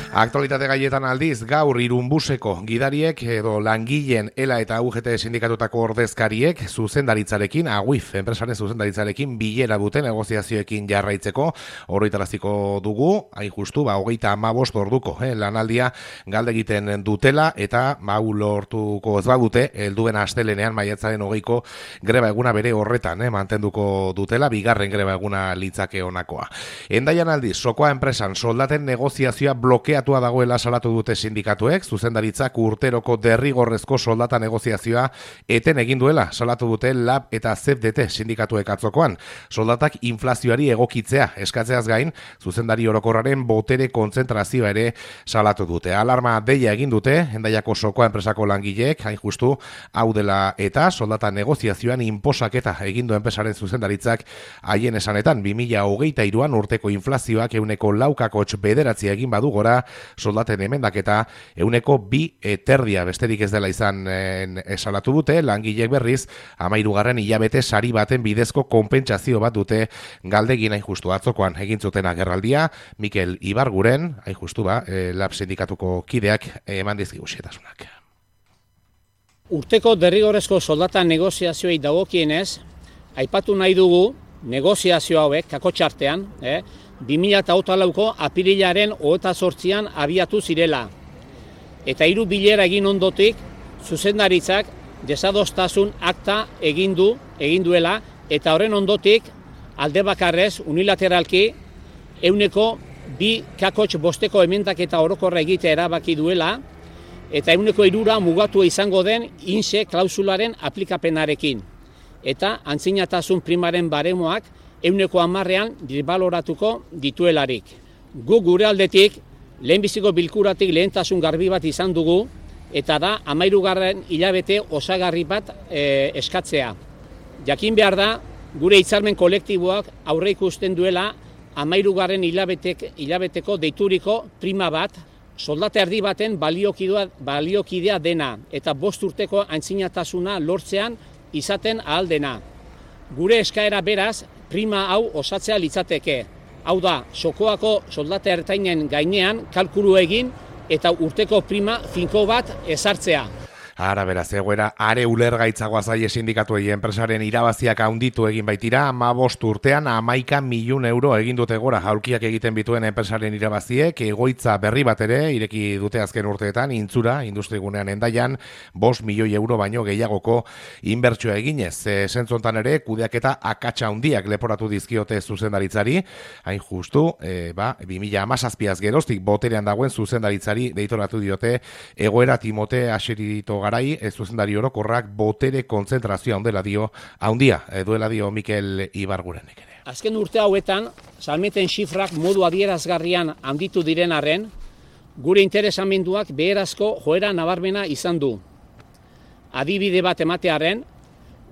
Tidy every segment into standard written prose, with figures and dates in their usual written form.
Aktualitate gaietan aldiz, gaur Irunbuseko gidariek edo langileen ELA eta UGT sindikatutako ordezkariek zuzendaritzarekin, AGUIF enpresaren zuzendaritzarekin bilera duten negoziazioekin jarraitzeko oroitaraziko dugu, hain justu, 35 orduko lanaldia galde egiten dutela eta lortuko ez badute, helduen astelenean maiatzaren 20ko greba eguna bere horretan mantenduko dutela, bigarren greba eguna litzake honakoa. Hendaian aldiz, Sokoa enpresan soldaten negoziazioa blokeatua dagoela salatu dute sindikatuek, zuzendaritzak urteroko derrigorrezko soldata negoziazioa eten egin duela salatu dute LAB eta ZDT sindikatuek atzokoan. Soldatak inflazioari egokitzea eskatzeaz gain, zuzendari orokorraren botere kontzentrazioa ere salatu dute. Alarma deia egin dute, Hendaiako Sokoa enpresako langileek, hain justu, hau dela eta soldata negoziazioan inposaketa egindu enpresaren zuzendaritzak haien esanetan 2023an urteko inflazioak 4,9 egin badu gora, soldaten emendaketa 2,2 besterik ez dela izan salatu dute, langileek berriz 13. hilabete sari baten bidezko konpentsazio bat dute galdegin hain justu atzokoan egin zuten agerraldia, Mikel Ibarguren, hain justu LAB sindikatuko kideak eman dizkigu xehetasunak. Urteko derrigorrezko soldata negoziazioei dagokienez, aipatu nahi dugu negoziazio hauek kakotxartean, 2008ko apirilaren 28an abiatu zirela. Eta 3 bilera egin ondotik, zuzendaritzak desadostasun akta egin duela, eta horren ondotik alde bakarrez unilateralki 2 kakotx bosteko emendaketa orokorra egitea erabaki duela, eta 3 mugatu izango den INSE klausularen aplikapenarekin. Eta antzinatasun primaren baremoak 10%an birbaloratuko dituelarik. Gu gure aldetik, lehenbiziko bilkuratik lehentasun garbi bat izan dugu, eta da 13. hilabete osagarri bat eskatzea. Jakin behar da, gure hitzarmen kolektiboak aurre ikusten duela 13. hilabeteko deituriko prima bat, soldata erdi baten baliokidea dena, eta 5 urteko antzinatasuna lortzean izaten ahal dena. Gure eskaera beraz, prima hau osatzea litzateke. Hau da, Sokoako soldata ertainen gainean kalkulu egin eta urteko prima finko bat ezartzea. Ara beraz, egoera are ulergaitzagoa zaie sindikatuei enpresaren irabaziak handitu egin baitira, 15 urtean 11 milioi euro egin dute gora aulkiak egiten bituen enpresaren irabaziek, egoitza berri bat ere ireki dute azken urteetan, Intzura, industrigunean Hendaian, 5 milioi euro baino gehiagoko inbertsioa eginez. Zentzontan ere, kudeaketa akatsa handiak leporatu dizkiote zuzendaritzari, hain justu, 2017az geroztik boterean dagoen zuzendaritzari deitoratu diote egoera Timote Aserito garai, zuzendari orokorrak botere kontzentrazioa duela dio Mikel Ibargurenek ere. Azken urte hauetan, salmenten xifrak modu adierazgarrian handitu diren arren, gure interesamenduak beherazko joera nabarmena izan du. Adibide bat ematearen,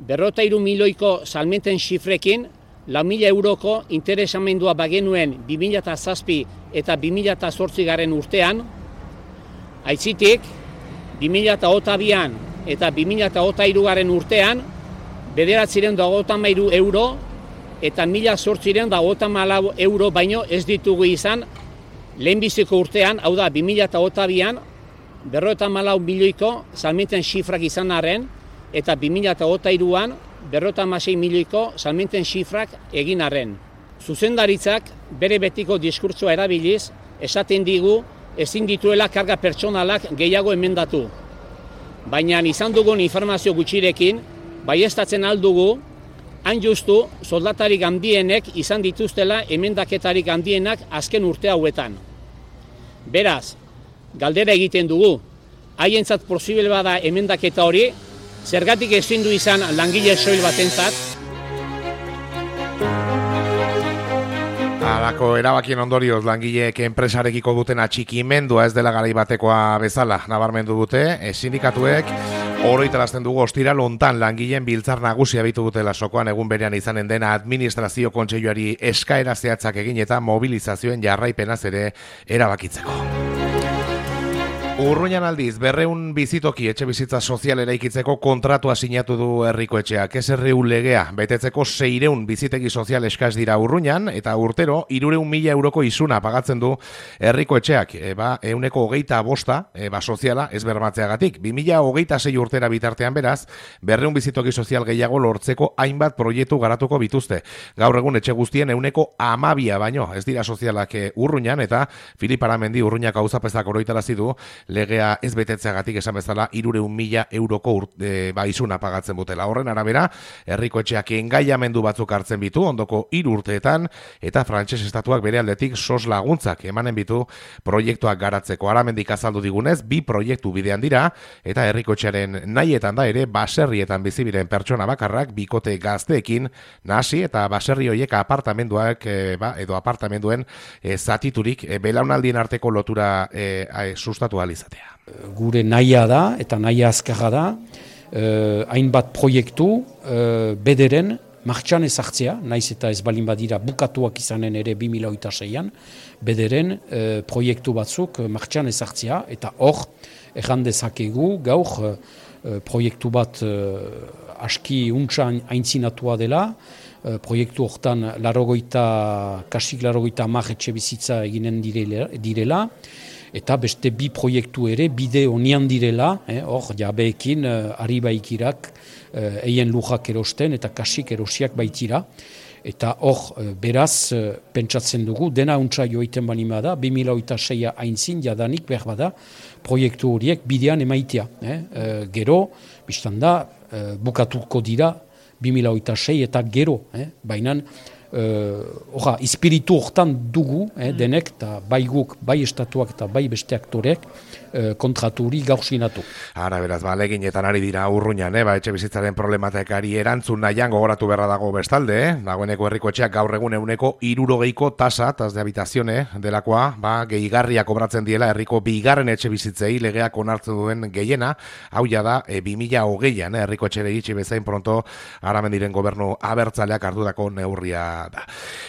53 milioiko salmenten xifrekin, 4.000 euroko interesamendua bagenuen 2007 eta 2008 urtean, aitzitik, 2008an eta 2008 urtean 953 euro eta 1.854 euro baino ez ditugu izan lehenbiziko urtean, hau da 2008an 54 milioiko salmenten xifrak izan arren eta 2008an 56 milioiko salmenten xifrak egin arren. Zuzendaritzak bere betiko diskurtsoa erabiliz esaten digu ezin dituela karga pertsonalak gehiago emendatu. Baina izan dugun informazio gutxirekin, baieztatzen aldugu, hain justu soldatarik handienek izan dituztela emendaketarik handienak azken urte hauetan. Beraz, galdera egiten dugu, haientzat posible bada emendaketa hori, zergatik ezin du izan langile soil batentzat? Halako erabakien ondorioz langileek enpresarekiko duten atxikimendua ez dela garai batekoa bezala nabarmendu dute, sindikatuek oroitarazten dugu ostiral hontan langileen biltzar nagusia bitu dutela Sokoan egun berean izanen dena administrazio kontseiluari eskaera zehatzak egin eta mobilizazioen jarraipenaz ere erabakitzeko. Urruñan aldiz, 200 bizitoki etxe bizitza sozial eraikitzeko kontratua sinatu du herriko etxeak. SRU legea betetzeko 600 bizitegi sozial eskaz dira Urruñan, eta urtero 300.000 euroko isuna pagatzen du herriko etxeak. 125 soziala ez bermatzeagatik. 2026 urtera bitartean beraz, 200 bizitoki sozial gehiago lortzeko hainbat proiektu garatuko bituzte. Gaur egun etxe guztien 12 baino ez dira sozialak Urruñan, eta Filip Aramendi Urruñak auzapezak oroitarazi du legea ez betetzeagatik esan bezala 300.000 euroko isuna pagatzen butela. Horren arabera, herriko etxeak engaiamendu batzuk hartzen bitu ondoko 3 urteetan, eta frantses estatuak bere aldetik sos laguntzak emanen bitu proiektuak garatzeko. Aramendik azaldu digunez, 2 proiektu bidean dira, eta herriko etxearen nahietan da ere baserrietan bizibiren pertsona bakarrak bikote gazteekin nahasi, eta baserri horiek apartamenduak edo apartamenduen zatiturik belaunaldien arteko lotura sustatu izatea. Gure nahia da eta nahia azkarra da, hainbat proiektu bederen martxan ezartzea, naiz eta ez balin badira bukatuak izanen ere 2026an, bederen proiektu batzuk martxan ezartzea, eta hor erran dezakegu gaur proiektu bat aski untxan aintzinatua dela, proiektu hortan kasik 80 etxe bizitza eginen direla, eta beste 2 proiektu ere bide honian direla, hor jabeekin ari baikirak eien lujak erosten eta kasik erosiak baitira. Eta hor beraz pentsatzen dugu, dena untsa joiten banima da, 2026 aintzin jadanik behar bada proiektu horiek bidean emaitea. Gero, biztan da, bukatuko dira 2026 eta gero, baina espiritu hortan dugu, denek, eta bai guk, bai estatuak eta bai beste aktorek kontratu hori gaur sinatu. Ara beraz, leginetan ari dira Urruñan, etxe bizitzaren problematekari erantzun nahian gogoratu beharra dago bestalde, dagoeneko herriko etxeak gaur egun 60ko tasa, tas de habitazione delakoa, gehigarria kobratzen diela herriko 2. etxe bizitzei legeak onartzen duen gehiena, hau ja da 2020an, herriko etxere iritsi bezain pronto Aramendiren gobernu abertzaleak ardurako neurria da.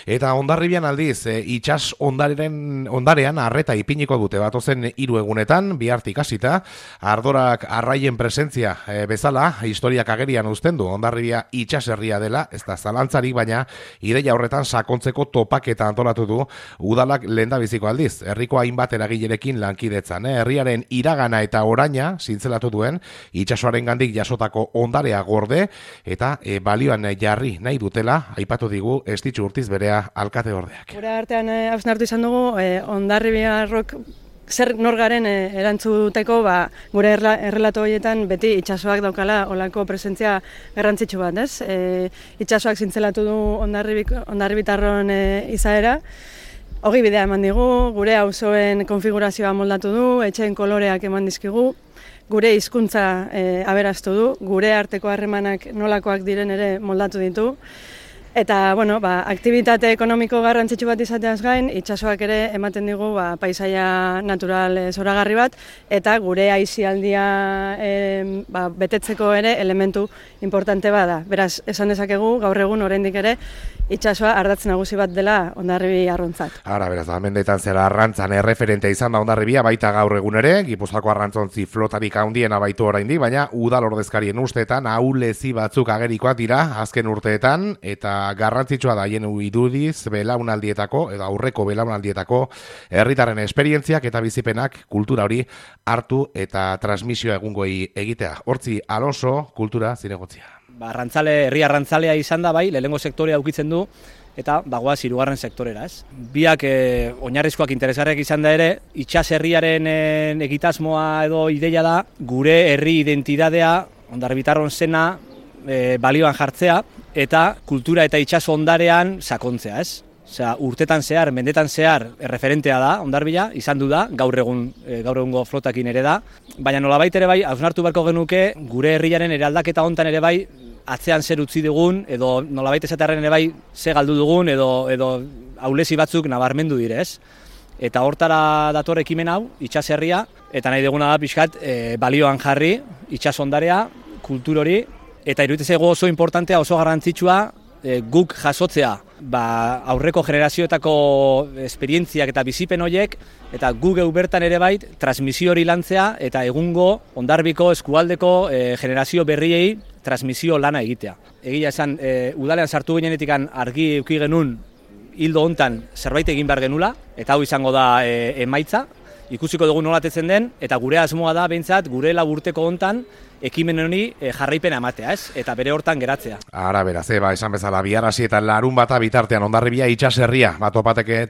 Eta Hondarribian aldiz, itsas ondarean arreta ipiniko dute batozen 3 egunetan, bihartik hasita, ardorak arraien presentzia bezala, historiak agerian uzten du, Hondarribia itsaserria dela, ez da zalantzarik, baina ideia horretan sakontzeko topaketa antolatu du udalak lehendabiziko aldiz, herriko hainbat eragilerekin lankidetzan, herriaren iragana eta oraina zintzelatu duen, itsasoaren gandik jasotako ondarea gorde, eta balioan jarri nahi dutela, aipatu digu Estitxu Urtiz berea alkate ordeak. Gure artean hausnartu izan dugu, Hondarribiarrok zer norgaren erantzuteko gure errelato horietan beti itsasoak daukala olako presentzia garrantzitsu bat, ez? Itsasoak zintzelatu du Hondarribitarron izaera, hori bidea eman digu, gure auzoen konfigurazioa moldatu du, etxeen koloreak eman dizkigu, gure hizkuntza aberastu du, gure arteko harremanak nolakoak diren ere moldatu ditu. Eta, aktibitate ekonomiko garrantzitsu bat izateaz gain, itsasoak ere ematen digu paisaia natural zoragarri bat, eta gure aisialdia betetzeko ere elementu importante bada. Beraz, esan dezakegu, gaur egun oraindik ere, itsasoa ardatz nagusi bat dela Hondarribi arrontzat. Ara, beraz, mendeetan zera arrantzan erreferente izan da Hondarribia, baita gaur egun ere, Gipuzkoako arrantzontzi flotarik handiena baitu oraindik, baina udal ordezkarien usteetan ahulezi batzuk agerikoak dira azken urteetan, eta garrantzitsua da haien irudiz belaunaldietako edo aurreko belaunaldietako herritarren esperientziak eta bizipenak kultura hori hartu eta transmisioa egungoi egitea. Hortzi Alonso, kultura zinegotzia. Herri arrantzalea izan da bai, lehenengo sektorea ukitzen du, eta bagoaz 3. sektorera, ez? Biak oinarrizkoak interesgarriak izan da ere, itsas herriaren egitasmoa edo ideia da, gure herri identitatea, Hondarribitarron zena, balioan jartzea, eta kultura eta itsaso ondarean sakontzea, ez? Osea, urtetan zehar, mendetan zehar erreferentea da Hondarribia, izan du da, gaur egungo flotakin ere da, baina nolabait ere bai, hausnartu beharko genuke, gure herriaren eraldaketa hontan ere bai, atzean zer utzi dugun, edo nolabait esatearen ere bai, ze galdu dugun, edo ahulezi batzuk nabarmendu dire, ez? Eta hortara dator ekimen hau, itsas herria, eta nahi duguna da pixkat balioan jarri, itsas ondarea, kultur hori, eta iruditzen zaigu oso importantea, oso garrantzitsua, guk jasotzea aurreko generazioetako esperientziak eta bizipen horiek, eta guk bertan ere bait transmisio hori lantzea eta egungo Hondarbiko eskualdeko generazio berriei transmisio lana egitea. Egia esan, udalean sartu ginenetik argi eduki genuen hildo hontan zerbait egin behar genula, eta hau izango da emaitza, ikusiko dugu nolatetzen den, eta gure asmoa da behintzat gure laburteko hontan ekimen honi jarraipena ematea, ez? Eta bere hortan geratzea. Ara beraz, esan bezala, bihar hasi eta larun bata bitartean Hondarribia itsaserria,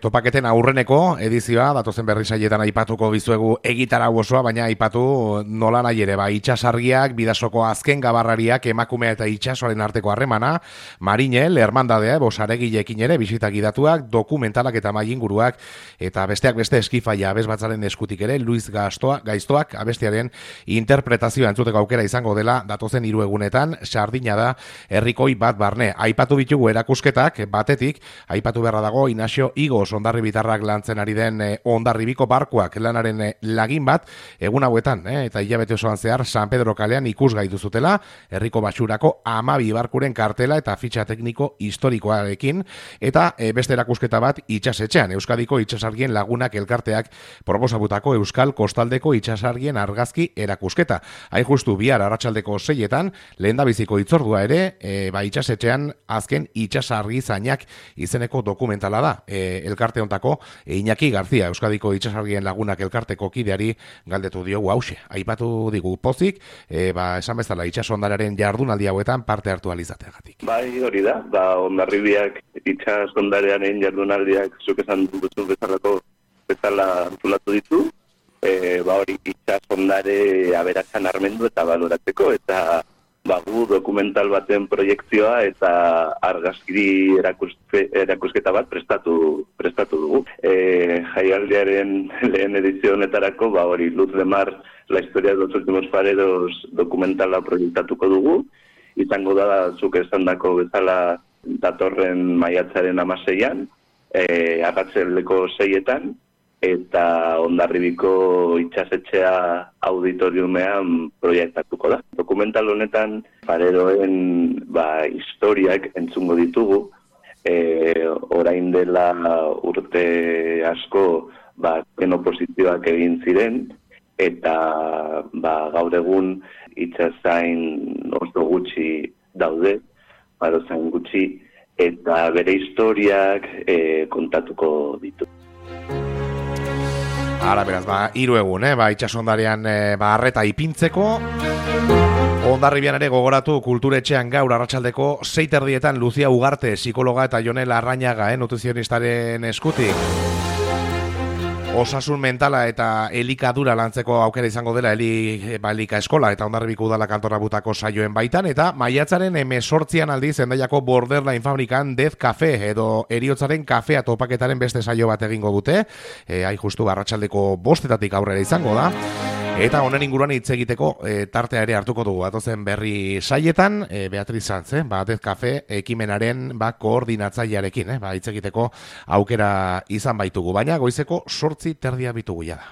topaketen aurreneko edizioa, datozen berri saietan aipatuko bizuegu egitarau osoa, baina aipatu nola nahi ere, itsasargiak, Bidasoko azken gabarrariak, emakumea eta itsasoaren arteko harremana, Marinel, hermandadea, bosaregileekin ere, bisita gidatuak, dokumentalak eta maiinguruak, eta besteak beste eskifaia abesbatzaren eskutik ere, Luis Gaiztoak abestiaren interpretazioa entzuteko aukera izango dela datozen 3 egunetan, Sardina da herrikoi bat barne. Aipatu bitugu erakusketak, batetik, aipatu beharra dago Inaxio Igos Hondarribitarrak lantzen ari den Hondarribiko barkuak lanaren lagin bat, egun hauetan, eta hilabete osoan zehar San Pedro kalean ikusgai duzutela, herriko basurako 12 barkuren kartela eta fitxa tekniko historikoarekin, eta beste erakusketa bat itsasetxean, Euskadiko itsasargien lagunak elkarteak proposatutako Euskal Kostaldeko itsasargien argazki erakusketa. Hain justu bihar arratsaldeko 6etan, lehendabiziko hitzordua ere, itsasetxean azken itsasargi zainak izeneko dokumentala da. Elkarte hontako Iñaki Garzia, Euskadiko itsasargien lagunak elkarteko kideari galdetu diogu hause. Aipatu digu pozik, esan bezala itsasondararen jardunaldi hauetan parte hartu alizateagatik. Bai, hori da, Hondarribiak itsasondarearen jardunaldiak zuk esan duzun bezala antolatu ditu. Hori itsasondare aberatsan armendu eta baloratzeko, eta gu dokumental baten proiektzioa eta argazkiri erakusketa bat prestatu dugu. Jaialdiaren lehen edizio honetarako, hori Luz de Mar, la historia de los últimos fareros dokumentala proiektatuko dugu. Izango da, zuk esandako bezala datorren maiatzaren 16an, arratsaldeko 6etan, eta Hondarribiko itsasetxea auditoriumean proiektatuko da. Dokumental honetan fareroen historiak entzungo ditugu, orain dela urte asko oposizioak egin ziren, eta gaur egun itsasain oso gutxi daude, barozain gutxi, eta bere historiak kontatuko ditu. Ara beraz, 3 egun, itsasondarean arreta ipintzeko. Hondarribian ere gogoratu kulturetxean gaur arratsaldeko 6:30 Lucia Ugarte, psikologa eta Jonel Arrañaga, nutrizionistaren eskutik. Osasun mentala eta elikadura lantzeko aukera izango dela elika eskola eta Hondarribiko udalak antolatuko saioen baitan, eta maiatzaren 18an aldiz Hendaiako Borderline fabrikan Dez Cafe edo Heriotzaren kafea topaketaren beste saio bat egingo dute. Hain justu arratsaldeko 5:00 aurrera izango da. Eta honen inguruan hitz egiteko tartea ere hartuko dugu. Atozen berri saietan, Beatriz Sanz, Dez Cafe ekimenaren koordinatzailearekin, hitz egiteko aukera izan baitugu. Baina goizeko 8:30 bitugu ja da.